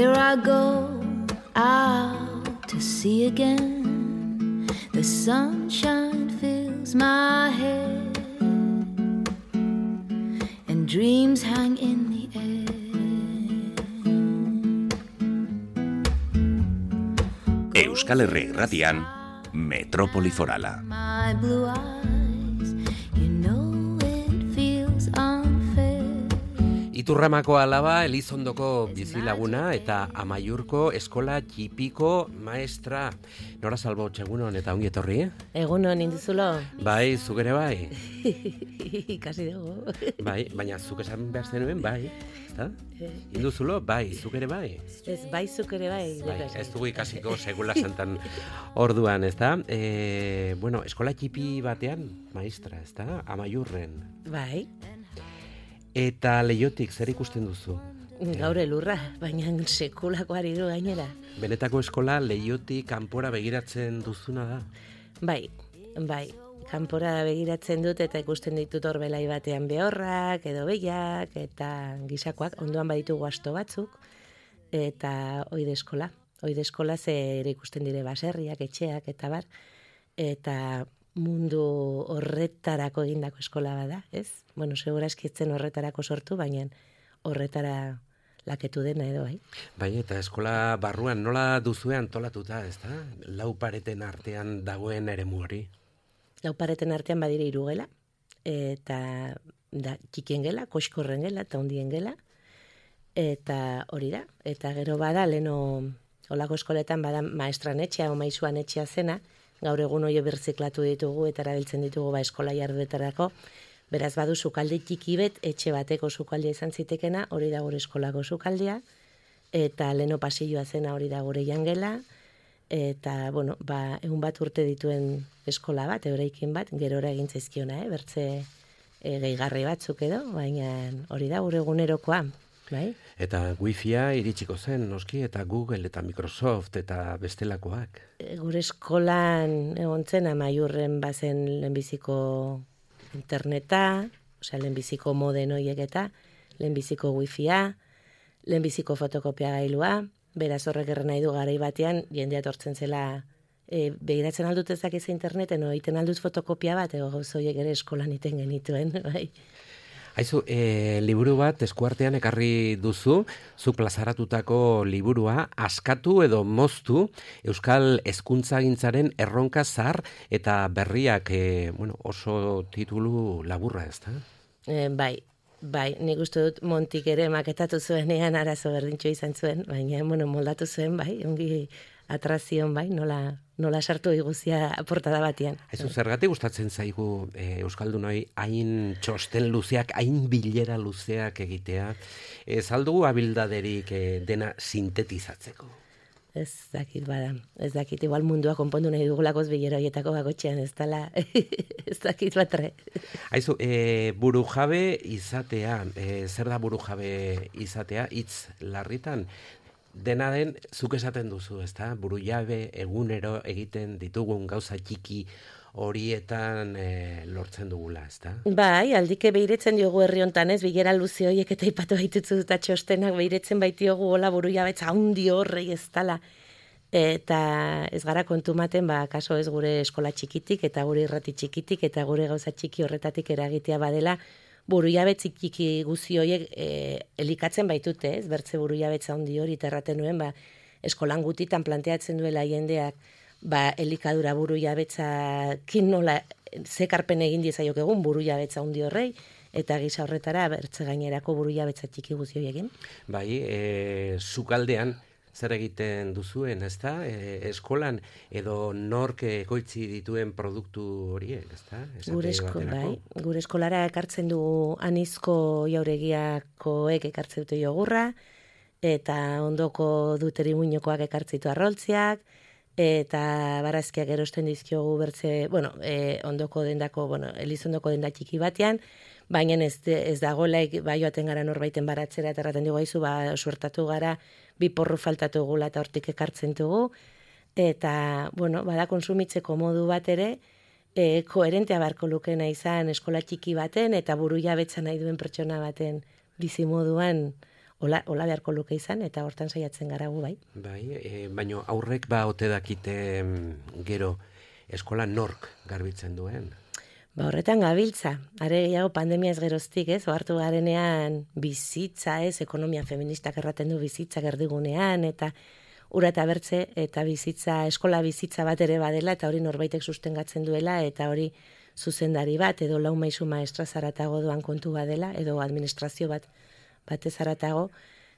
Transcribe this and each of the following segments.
Here I go out to sea again. The sunshine fills my head, and dreams hang in the air. Euskal Herri Irratian, Metropoli Forala. My blue eyes, you know it feels unfair. Iturramako alaba, Elizondoko bizilaguna eta Amaiurko eskola txipiko maestra. Nora Salbo, egunon eta ongi etorri? Egunon, induzulo? Bai, zuk ere bai? Ikasi dugu. Bai, baina zuk esan behar zenuen, bai, ezta? Induzulo, bai, zuk ere bai? Ez, bai, zuk ere bai. Bai, ez dugu ikasiko segula santan orduan, ezta? Bueno, eskola txipi batean, maestra, ezta? Amaiurren. Bai. Eta Leiotik zer ikusten duzu? Gaur elurra, baina sekulako ari du gainera. Benetako eskola Leiotik kanpora begiratzen duzuna da? Bai, kanpora begiratzen dut eta ikusten ditut horbelai batean behorrak, edo behiak, eta gisakoak, ondoan baditugu asto batzuk, eta oide eskola zer ikusten dire baserriak, etxeak, eta bar, eta mundu horretarako egindako eskola bada, ez? Bueno, segura eskitzen horretarako sortu, baina horretara laketu dena edo, bai? Bai, eta eskola barruan nola duzue antolatuta, ez da? Lau pareten artean dagoen eremu hori? Lau pareten artean badire 3 gela, eta da, txikien gela, koxkorren gela, eta hondien gela, eta hori da. Eta gero bada, leno olako eskoletan bada maestran etxea, o maizuan etxea zena, gaur egun hori birziklatu ditugu eta erabiltzen ditugu eskola jarduetarako. Beraz badu sukalde txiki bet, etxe bateko sukaldea izan zitekena, hori da gure eskolako sukaldea, eta leno pasilloa zena hori da gure jangela, eta, bueno, egun bat urte dituen eskola bat, euraikin bat, gerora egin zaizkiona, bertze gehigarri batzuk edo, baina hori da gure egunerokoa. Bai? Eta Wi-Fia iritsiko zen, noski, eta Google eta Microsoft eta bestelakoak. Gure eskolan egon zen, Amaiurren bazen lehenbiziko interneta, osea, lehenbiziko moden horiek eta, lehenbiziko Wi-Fia, lehenbiziko fotokopia gailua, beraz horrek erren nahi du garai batean, jendea etortzen zela, begiratzen aldut ezak ez interneten, egiten aldut fotokopia bat, ego gauzoiek ere eskolan iten genituen, bai. Aizu, liburu bat eskuartean ekarri duzu, zuk plazaratutako liburua, Askatu edo Moztu, Euskal Hezkuntzagintzaren erronka zahar eta berriak, oso titulu laburra, ez da? Bai, nik uste dut Montik ere maketatu zuenean arazo berdintxo izan zuen, baina, moldatu zuen, bai, ongi atrazion, bai, nola sartu iguzia portada batean. Aizu, zergatik gustatzen zaigu Euskaldunoi hain txosten luzeak, hain bilera luzeak egitea, ez aldugu abildaderik dena sintetizatzeko? Ez dakit, igual mundua konpondu nahi dugulakoz bilera horietako bakotxean, ez dala, ez dakit batre. Aizu, burujabe izatea, zer da burujabe izatea, hitz larritan, dena den, zuk esaten duzu, ezta? Burujabe egunero egiten ditugun gauza txiki horietan lortzen dugula, ezta? Bai, aldike behiretzen diogu herri hontan, ez? Bilera luze horiek eta ipatu baitutzu eta txostenak behiretzen baitiogu hola burujabetza handi horrei ez dala. Eta ez gara kontumaten, kaso ez gure eskola txikitik eta gure irrati txikitik eta gure gauza txiki horretatik eragitea badela, burujabetzik txiki guzi horiek elikatzen baitute, ez? Bertze burujabetza handi hori terraten nuen, eskolan gutitan planteatzen duela jendeak, elikadura burujabetzakin nola zekarpen egin diezaiok egun burujabetza handi horrei, eta gisa horretara bertze gainerako burujabetza txiki guzi horiekin. Bai, sukaldean zer egiten duzuen, ezta? Eskolan edo nork ekoitzi dituen produktu horiek, ezta? Gure eskolara ekartzen dugu anizko jauregiakoek ekartzen dute jogurra, eta ondoko duteri muñokoak ekartzitu arroltziak, eta barazkiak erosten dizkiogu bertze, ondoko dendako, Elizondoko denda txiki batean, baina ez dagoelaik joaten gara norbaiten baratzera, eta erraten dugu haizu, suertatu gara, 2 porru faltatu gula eta hortik ekartzen dugu, eta, bada konsumitzeko modu bat ere, koherentea barko lukena izan eskola txiki baten, eta burujabetza nahi duen pertsona baten bizimoduan Hola beharko luke izan, eta hortan saiatzen gara gu, bai. Bai, baina aurrek ba ote dakite gero eskola nork garbitzen duen. Ba, horretan gabiltza, are gehiago pandemiaz geroztik, ez, ohartu garenean bizitza, ez, ekonomia feministak erraten du bizitza gerdigunean, eta ura eta bertze, eta bizitza, eskola bizitza bat ere badela, eta hori norbaitek sustengatzen duela, eta hori zuzendari bat, edo lau maisu maestra zaratago doan kontu badela, edo administrazio batez zaratago,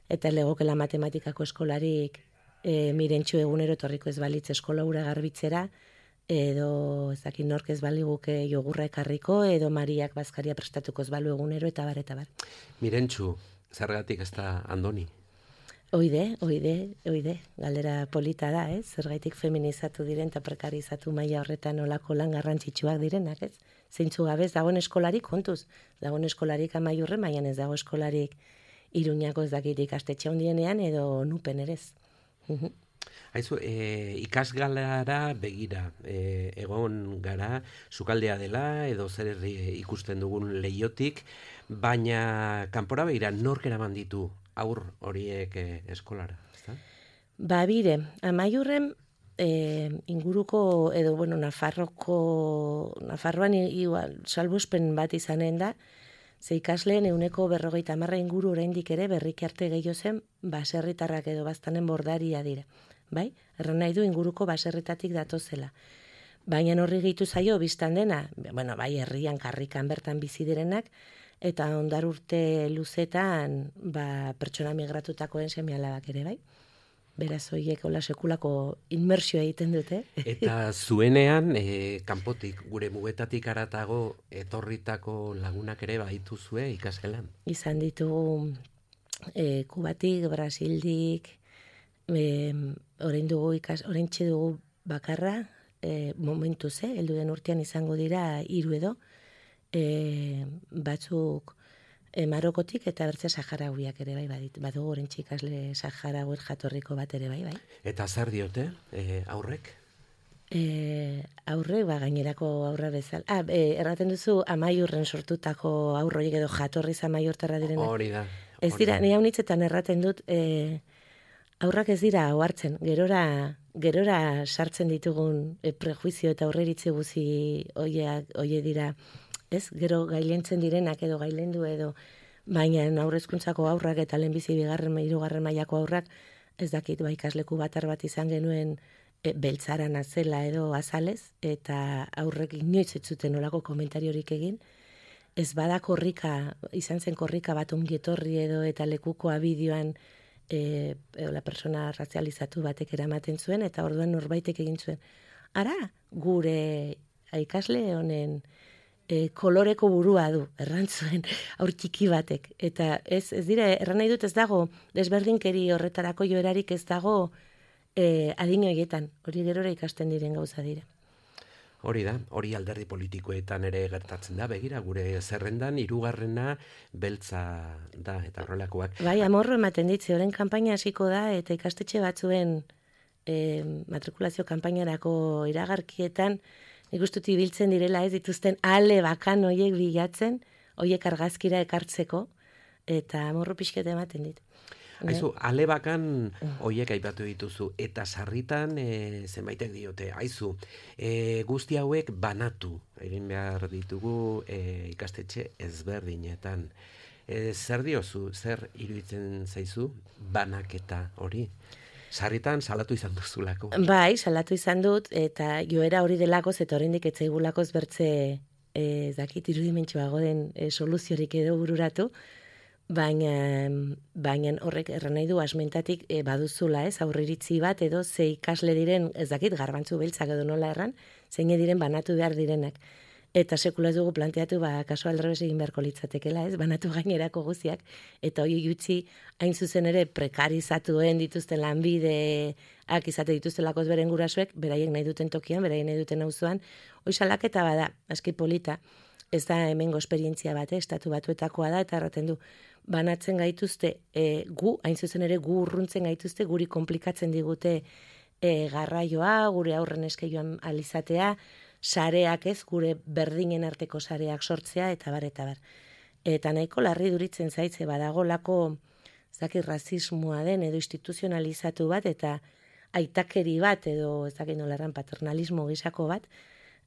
eta legokela matematikako eskolarik mirentxu egunero etorriko ez balitz eskola ura garbitzera, edo ezakit nork ez baliguke jogurra ekarriko, edo Mariak bazkaria prestatuko ez balu egunero, eta bar, eta bar. Mirentxu, zergatik ez da Andoni? Oide, galdera polita da, ez? Zergaitik feminizatu diren eta prekarizatu maila horretan olako lan garrantzitsuak direnak, ez? Zeintzu gabez, dagoen eskolarik kontuz, dagoen eskolarik Amaiurren, baina ez dago eskolarik Iruñako ez dakit ikastetxe handienean edo nupen erez. Haizu, ikasgalara begira, egon gara, sukaldea dela, edo zer ikusten dugun leiotik, baina kanpora begira nork eraman ditu aur horiek eskolara, ezta? Ba, bire, Amaiurren inguruko, edo, bueno, Nafarroan igual, salbuespen bat izanen da, ze ikasleen 50% inguru oraindik ere berriki arte gehiago zen baserritarrak edo baztanen bordaria dira. Bai? Erran nahi du inguruko baserritatik datozela. Baina horri gehitu zaio biztan dena, bueno, bai, herrian karrikan bertan bizi direnak, eta ondar urte luzetan pertsona migratutakoen seme-alabak ere, bai? Beraz, horiek hola sekulako inmersioa egiten dute. Eta zuenean, kanpotik, gure mugetatik aratago etorritako lagunak ere baituzue ikasgelan? Izan ditugu Kubatik, Brasildik, oraintxe dugu bakarra, momentuz, heldu den urtean izango dira 3 edo, batzuk Marokotik eta bertze Saharauiak ere bai badugu oraintxe ikasle Saharauer jatorriko bat ere bai. Eta zer diote aurrek? Aurrek, gainerako aurra bezala. Erraten duzu Amaiurren sortutako aurroiek edo jatorriz amaiurtarra direnak. Hori da. Ez dira, ni haunitzetan erraten dut, aurrak ez dira ohartzen, gerora sartzen ditugun prejuizio eta aurreritze guzi oie dira, ez? Gero gailentzen direnak edo gailendu edo, baina aurrezkuntzako aurrak eta lehenbizi 2., 3. mailako aurrak, ez dakit, ikasleku batar bat izan genuen beltzaran azela edo azalez, eta aurrek inoiz ez zuten olako komentariorik egin, ez bada izan zen korrika bat ongietorri edo eta lekukoa bideoan la persona razializatu batek eramaten zuen, eta orduan norbaitek egin zuen. Ara, gure ikasle honen koloreko burua du, errantzuen aur txiki batek. Eta ez dira, erran nahi dut ez dago, desberdinkeri horretarako joerarik ez dago adin horietan, hori gerora ikasten diren gauza dira. Hori da, hori alderdi politikoetan ere gertatzen da, begira, gure zerrendan 3. beltza da, eta horrelakoak. Bai, amorro ematen ditze, horren kanpaina hasiko da, eta ikastetxe batzuen matrikulazio kanpainarako iragarkietan, nik uste ibiltzen direla ez dituzten ale bakan hoiek bilatzen, hoiek argazkira ekartzeko, eta amorro pixkete ematen dit. Aizu, ale bakan hoiek aipatu dituzu, eta sarritan zenbaitek diote, aizu, guzti hauek banatu, egin behar ditugu ikastetxe ezberdinetan. Zer diozu, zer iruditzen zaizu banaketa hori? Sarritan salatu izan duzulako. Bai, salatu izan dut, eta joera hori delakoz, eta oraindik ez zaigulakoz bertze dakit irudimentsuago den soluziorik edo bururatu, baina horrek erran nahi du asmentatik baduzula, ez, aurriritzi bat edo ze ikasle diren, ez dakit, garbantzu beltzak edo nola erran, zeine diren banatu behar direnak. Eta sekula ez dugu planteatu, kaso aldrebes egin beharko litzatekela, ez, banatu gainerako guziak, eta hori gutxi hain zuzen ere prekarizatuen dituzten lanbideak izate dituztelakoz beren gurasoek, beraiek nahi duten tokian, beraiek nahi duten auzoan, hoi salaketa bada, aski polita, ez da hemengo esperientzia bat, estatu batuetakoa da, eta erraten du, banatzen gaituzte, hain zuzen ere gu urruntzen gaituzte, guri komplikatzen digute garraioa, gure aurren eskeioan alizatea, sareak ez, gure berdinen arteko sareak sortzea, eta bar. Eta nahiko larri duritzen zaitze, badagolako ez dakit rasismoa den edo instituzionalizatu bat eta aitakeri bat edo ez dakit nola erran paternalismo gisako bat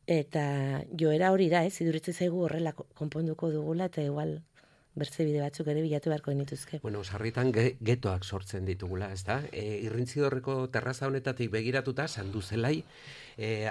eta joera hori da, iduritzen zaigu horrela konponduko dugula eta igual bertze bide batzuk ere bilatu beharko genituzke. Bueno, sarritan getoak sortzen ditugula, ez da? Irrintzidorreko terraza honetatik begiratuta, Sanduzelai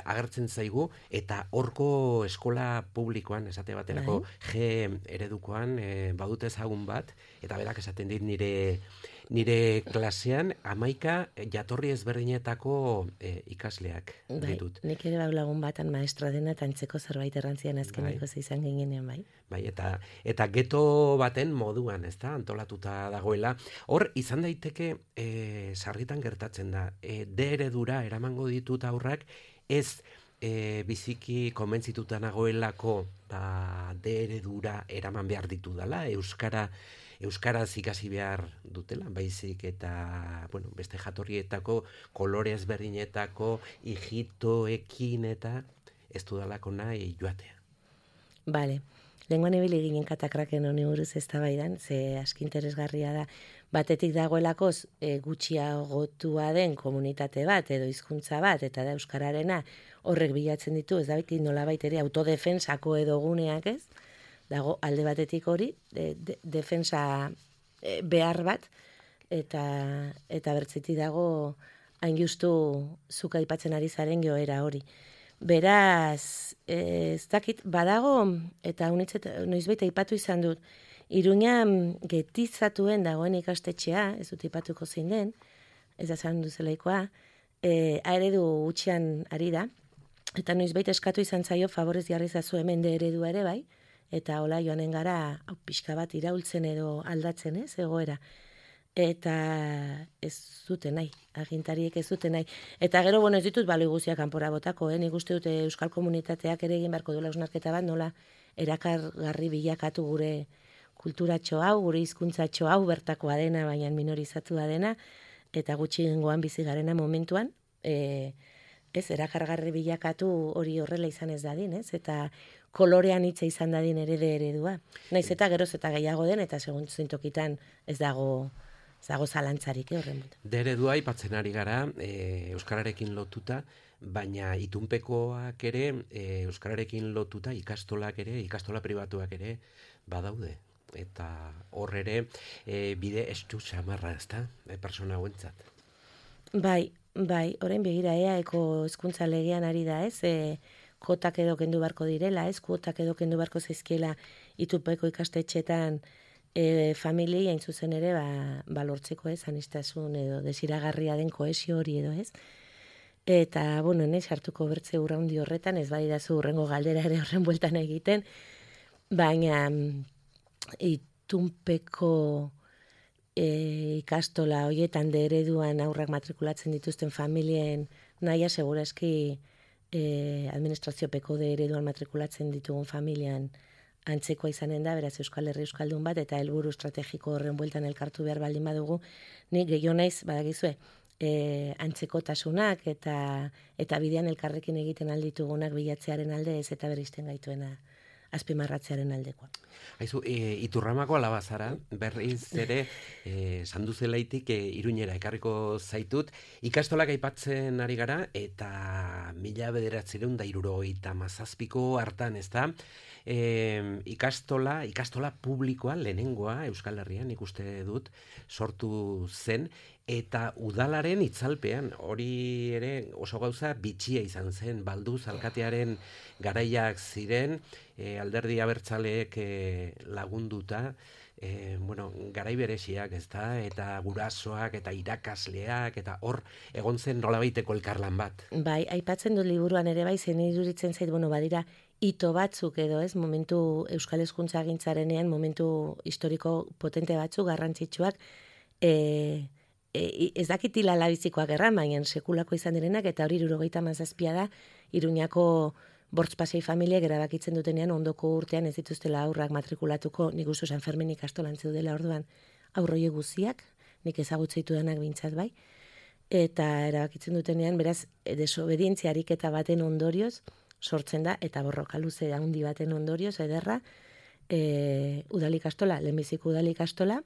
agertzen zaigu, eta horko eskola publikoan, esate baterako G eredukoan, badut ezagun bat, eta berak esaten dit nire klasean 11 jatorri ezberdinetako ikasleak ditut. Nik ere lagun batan maestra dena eta antzeko zerbait errantzian azkeneko izan ginenean, bai. Bai, eta geto baten moduan, ez da, antolatuta dagoela. Hor, izan daiteke, sarritan gertatzen da, D eredura eramango ditut aurrak, ez biziki konbentzituta nagoelako D eredura eraman behar ditu dela, euskaraz ikasi behar dutela, baizik eta, bueno, beste jatorrietako, kolore ezberdinetako, hijitoekin eta ez dudalako nahi joatea. Bale. Lenguan ibili ginen katakraken honi buruz eztabaidan, ze aski interesgarria da. Batetik dagoelako gutxiagotua den komunitate bat edo hizkuntza bat eta da euskararena horrek bilatzen ditu, ez da beti nolabait ere autodefensako edo guneak, ez? Dago alde batetik hori, defensa behar bat eta bertzetik dago hain justu zuk aipatzen ari zaren joera hori. Beraz, ez dakit, badago, eta noizbait aipatu izan dut, Iruña getizatuen dagoen ikastetxea, ez dut aipatuko zein den, ez da zan duzelaikoa, eredu gutxian ari da, eta noizbait eskatu izan zaio favorez jarri zazu hemen de eredua ere bai, eta hola joanen gara pixka bat iraultzen edo aldatzen, ez, egoera. Eta ez zuten nahi, agintariek ez zuten nahi. Eta gero, bueno, ez ditut baloi guztiak kanpora botako, nik uste dute euskal komunitateak ere egin beharko duela hausnarketa bat, nola erakargarri bilakatu gure kulturatxo hau, gure hizkuntzatxo hau bertakoa dena, baina minorizatua dena, eta gutxiengoan bizi garena momentuan, ez, erakargarri bilakatu hori horrela izan ez dadin, ez, eta kolorean hitza izan dadin ere de eredua. Naiz eta geroz eta gehiago den, eta segun zintokitan ez dago zalantzarik horren dut. De eredua aipatzen ari gara, euskararekin lotuta, baina itunpekoak ere, euskararekin lotuta ikastolak ere, ikastola pribatuak ere badaude. Eta hor ere bide estu xamarra, ez da, persona hauentzat. Bai, orain begira eaeko hezkuntza legean ari da, ez, kotak edo kendu beharko direla, ez, kuotak edo kendu beharko zaizkiela itunpeko ikastetxetan familiei hain zuzen ere lortzeko ez, anistasun edo desiragarria den kohesio hori edo ez. Eta, bueno, sartuko bertze urraundi horretan, ez badidazu urrengo galdera ere horren bueltan egiten, baina itunpeko ikastola horietan de ereduan aurrak matrikulatzen dituzten familien nahia segurazki administraziopeko de ereduan matrikulatzen ditugun familian antzekoa izanen da, beraz Euskal Herri Euskaldun bat, eta helburu estrategiko horren bueltan elkartu behar baldin badugu, nik gehiago naiz, badakizue, antzekotasunak eta bidean elkarrekin egiten alditugunak bilatzearen alde ez eta berrizten gaituena azpimarratzearen aldekoa. Haizu, Iturramako alabazara, berriz ere, Sanduzelaitik Iruñera ekarriko zaitut, ikastolak aipatzen ari gara, eta 1977ko hartan, ez da, ikastola publikoa, lehenengoa, Euskal Herrian, ikuste dut, sortu zen, eta udalaren itzalpean, hori ere oso gauza bitxia izan zen, balduz alkatearen garaiak ziren, alderdi abertzaleek lagunduta, garai bereziak, ez da, eta gurasoak, eta irakasleak, eta hor egon zen nolabaiteko elkarlan bat. Bai, aipatzen dut liburuan ere bai, zen iduritzen zait, badira, ito batzuk edo ez, momentu Euskal Hezkuntza Agintzarenean, momentu historiko potente batzuk, garrantzitsuak, ez dakit hilala bizikoak erran, baina sekulako izan direnak, eta hori 77 da, Iruñako bortzpasei familiak erabakitzen dutenean ondoko urtean ez dituztela aurrak matrikulatuko, nik uste San Fermin ikastolan zeudela orduan aurroie guziak, nik ezagutzeitu denak bintzat bai, eta erabakitzen dutenean, beraz, desobedientzia ariketa baten ondorioz, sortzen da, eta borroka luze handi baten ondorioz, ederra, udalikastola, lehenbiziko udalikastola,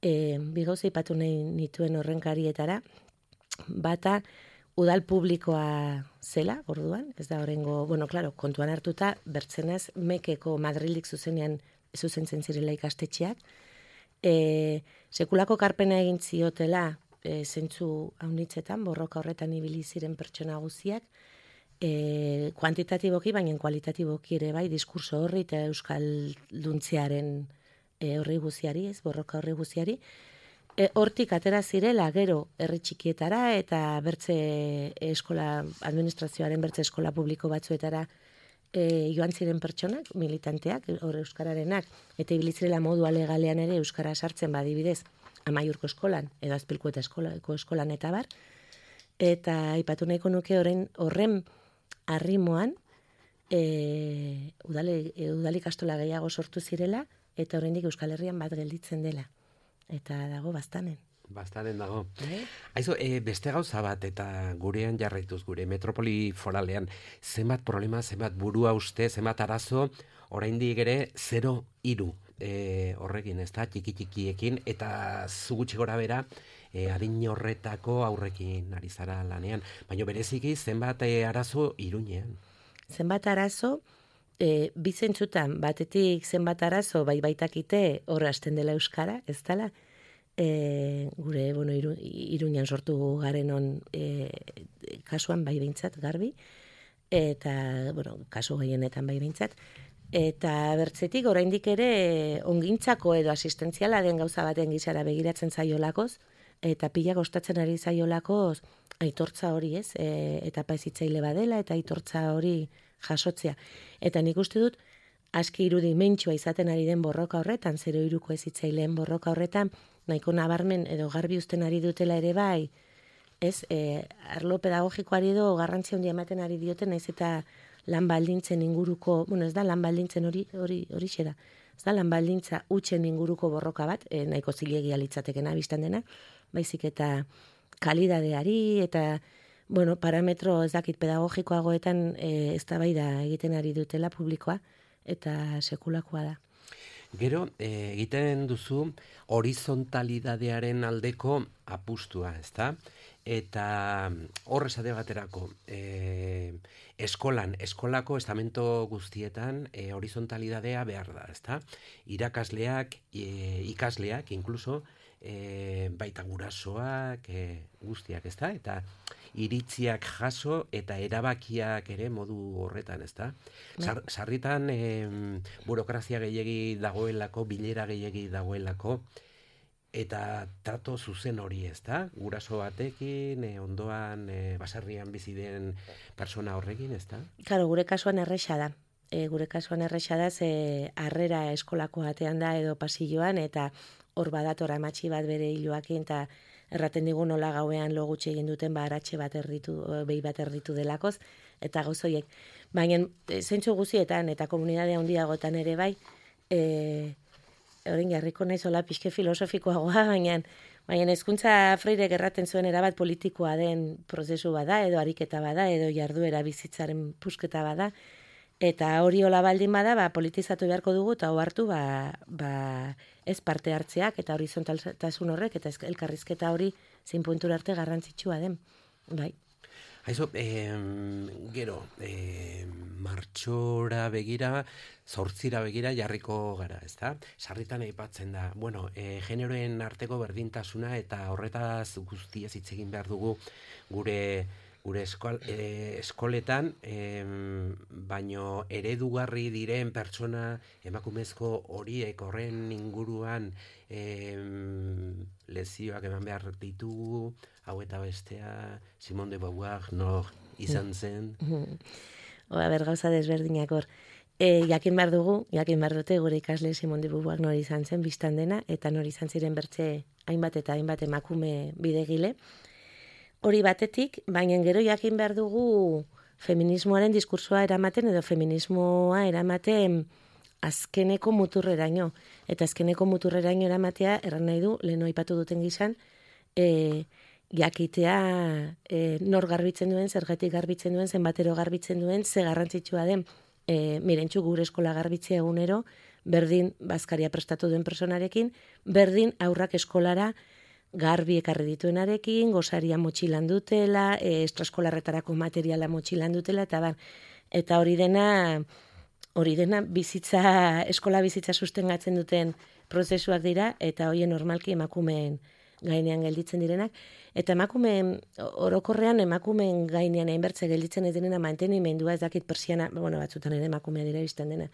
Bi gauza aipatu nahi nituen horrenkarietara, bata udal publikoa zela, orduan, ez da horrengo, claro, kontuan hartuta, bertzenaz, Mekeko Madrildik zuzentzen zirela ikastetxeak, sekulako karpena egin ziotela, zentzu haunitzetan, borroka horretan ibili ziren pertsona guziak, kuantitatiboki, baina kualitatiboki ere bai, diskurso horri eta euskalduntzearen horri guziari, ez, borroka horri guziari, hortik atera zirela gero herri txikietara eta bertze eskola, administrazioaren bertze eskola publiko batzuetara joan ziren pertsonak, militanteak, hor euskararenak, eta ibilizirela modu alegalean ere euskara sartzen badibidez, Amaiurko eskolan, edo Azpilkueta eskolan eta bar, eta aipatu nahiko nuke horren arrimoan udal ikastola gehiago sortu zirela, eta oraindik Euskal Herrian bat gelditzen dela. Eta dago bastanen. Bastanen dago. Aizu, beste gauza bat, eta gurean jarraituz, gure metropoli foralean, zenbat problema, zenbat burua uste, zenbat arazo, oraindik ere 0-3 horrekin, ez da, txiki-txikiekin, eta zugutxi gora bera, adin horretako aurrekin ari zara lanean. Baina bereziki zenbat arazo Iruñean. Zenbat arazo, bizentzutan, batetik zenbat arazo, baitakite horra hasten dela euskara, ez dela? Gure, Iruñan sortu garenon kasuan bai behintzat garbi, eta, kasu gehienetan bai behintzat, eta bertzetik oraindik ere ongintzako edo asistentziala den gauza baten gizara begiratzen zaiolakoz, eta pila kostatzen ari zaiolakoz aitortza hori, ez? Etapa hezitzaile badela eta aitortza hori jasotzea. Eta nik uste dut aski irudimentsua izaten ari den borroka horretan, 0-3ko hezitzaileen borroka horretan, nahiko nabarmen edo garbi uzten ari dutela ere bai, ez? Arlo pedagogikoari edo garrantzi handia ematen ari dioten, naiz eta lan baldintzen inguruko, ez da lan baldintzen hori da. Ez da lan baldintza hutsen inguruko borroka bat, nahiko zilegia litzatekena biztan dena, baizik eta kalidadeari eta parametro ez dakit pedagogikoagoetan eztabaida egiten ari dutela publikoa eta sekulakoa da. Gero, egiten duzu horizontalidadearen aldeko apustua, ezta? Eta hor esate baterako, eskolako estamento guztietan horizontalidadea behar da, ezta? Irakasleak, ikasleak, inkluso, baita gurasoak, guztiak, ezta? Eta iritziak jaso eta erabakiak ere modu horretan, ezta? Sarritan burokrazia gehiegi dagoelako, bilera gehiegi dagoelako, eta trato zuzen hori, ezta? Guraso batekin, ondoan, baserrian bizi den persona horrekin, ezta? Claro, gure kasuan erresa da. Gure kasuan erresa da, ze harrera eskolako batean da edo pasilloan, eta hor badatora amatxi bat bere hiloakin, eta erraten digu nola gauean lo gutxi egin duten aratxe bat behi bat erditu delakoz, eta gauzoiek. Baina zentzu guzietan eta komunidade handiagotan ere bai, horrein jarriko naiz hola pixke filosofikoagoa, baina hezkuntza Freirek erraten zuen erabat politikoa den prozesu bada, edo ariketa bada, edo jarduera bizitzaren pusketa bada, eta hori hola baldin bada, politizatu beharko dugu, eta ohartu, ez parte hartzeak, eta horizontaltasun horrek, eta elkarrizketa hori zein puntura arte garrantzitsua den. Bai. Haizo, gero, martxora begira, 8 begira jarriko gara, ezta? Sarritan aipatzen da, generoen arteko berdintasuna eta horretaz guztiaz hitz egin behar dugu gure eskoletan, baino eredugarri diren pertsona emakumezko horiek horren inguruan lezioak eman behar ditugu, hau eta bestea, Simone de Beauvoir nor izan zen. Gauza desberdinak hor. Jakin behar dute gure ikasle Simone de Beauvoir nor izan zen biztan dena, eta nor izan ziren bertze hainbat eta hainbat emakume bidegile. Hori batetik, baina gero jakin behar dugu feminismoaren diskursoa eramaten edo feminismoa eramaten azkeneko muturreraino. Eta azkeneko muturreraino eramatea erran nahi du, lehen aipatu duten gizan, jakitea nor garbitzen duen, zergatik garbitzen duen, zenbatero garbitzen duen, ze garrantzitsua den, mirentxu gure eskola garbitzea egunero, berdin bazkaria prestatu duen personarekin, berdin aurrak eskolara garbi ekarri dituenarekin, gosaria motxilan dutela, estraskolarretarako materiala motxilan dutela, eta hori dena eskola bizitza sustengatzen duten prozesuak dira, eta hoien normalki emakumeen gainean gelditzen direnak, eta orokorrean emakumeen gainean hainbertze gelditzen ez direna mantenimendua, ez dakit persiana, batzutan ere emakumea dira bizten dena,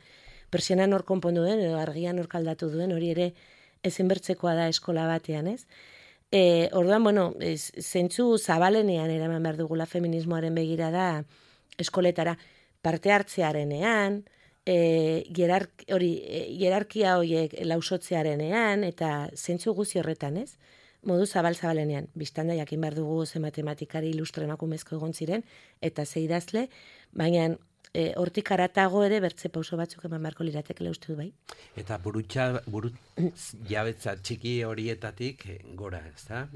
persiana nor konpondu duen, edo argia nor kaldatu duen, hori ere ezinbertzekoa da eskola batean, ez? Orduan, zentzu zabalenean eraman behar dugula feminismoaren begirada eskoletara, parte hartzearenean, hierarkia horiek lausotzearenean, eta zentzu guzi horretan, ez? Modu zabalenean, biztanda jakin behar dugu ze matematikari ilustre emakumezko egon ziren, eta ze idazle, baina hortik aratago ere bertze pauso batzuk eman beharko liratekela uste du bai. Eta buru jabetza txiki horietatik gora, ez da?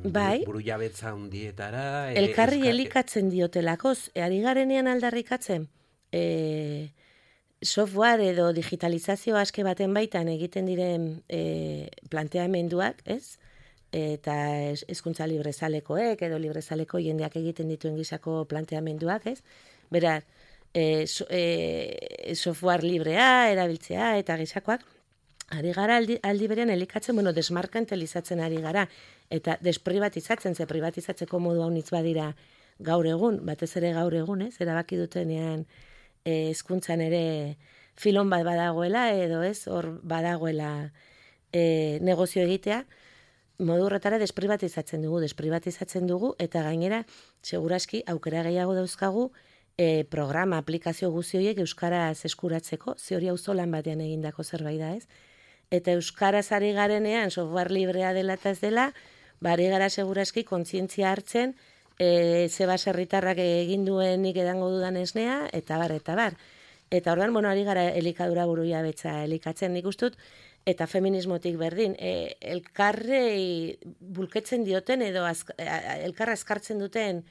Bai. Buru jabetza hundietara. Elkarri elikatzen diotelakoz, ari garenean aldarrikatzen, software edo digitalizazio aske baten baitan egiten diren planteamenduak, ez? Eta hezkuntza librezalekoek edo librezaleko jendeak egiten dituen gisako planteamenduak, ez? Beraz, software librea, erabiltzea eta gisakoak, ari gara aldi berean elikatzen, desmarkantelizatzen ari gara, eta desprivatizatzen, ze privatizatzeko modu haunitz badira gaur egun, batez ere gaur egun, ez? Erabaki dutenean hezkuntzan ere filon bat badagoela, edo ez, hor badagoela negozio egitea, modu horretara desprivatizatzen dugu, eta gainera, seguraski, aukera gehiago dauzkagu, programa, aplikazio guzti horiek euskaraz eskuratzeko, ze hori auzolan batean egindako zerbait da, ez? Eta euskaraz ari garenean, software librea dela eta ez dela, ari gara seguraski kontzientzia hartzen, ze baserritarrak egin duenik edango dudan esnea, eta bar. Eta orduan, ari gara elikadura buruia betza elikatzen nik ustut, eta feminismotik berdin, elkarrei bulketzen dioten edo elkarra azkartzen duten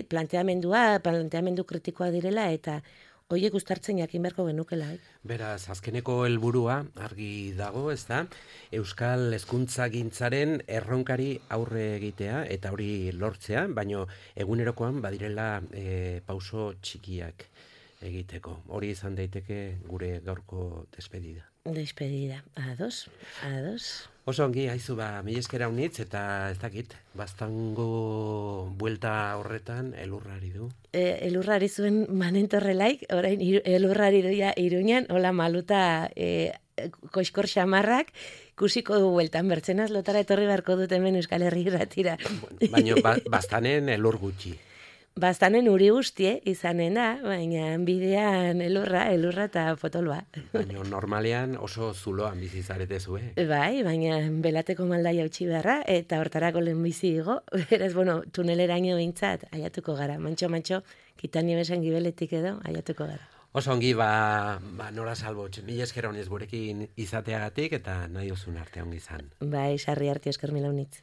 planteamendu kritikoa direla, eta horiek uztartzen jakin beharko genukela. Beraz, azkeneko helburua argi dago, ez da? Euskal hezkuntzagintzaren erronkari aurre egitea eta hori lortzea, baino egunerokoan badirela pauso txikiak egiteko. Hori izan daiteke gure gaurko despedida. Despedida, ados. Oso ongi, haizu mila esker haunitz, eta ez dakit, baztango buelta horretan elurrari du. Elurrari zuen manentorrelaik, orain elurrari duia Iruñan, hola maluta koskor xamarrak, ikusiko du bueltan, bertzenaz lotara etorri beharko dut hemen Euskal Herri Irratira. Baina baztanen elur gutxi. Bastanen uri guztie izanen da, baina bidean elurra eta potoloa. Baina normalean oso zuloan bizi zarete zue. Bai, baina belateko maldaia utzi beharra, eta hortarako lehen bizi igo. Beraz, tuneleraino bintzat, aiatuko gara. Mantxo, kitani besan gibeletik edo, aiatuko gara. Oso ongi, Nora Salbotx, mila esker honez gurekin izateagatik, eta nahi ozun arte ongi izan. Bai, sarri arte esker mila honitz.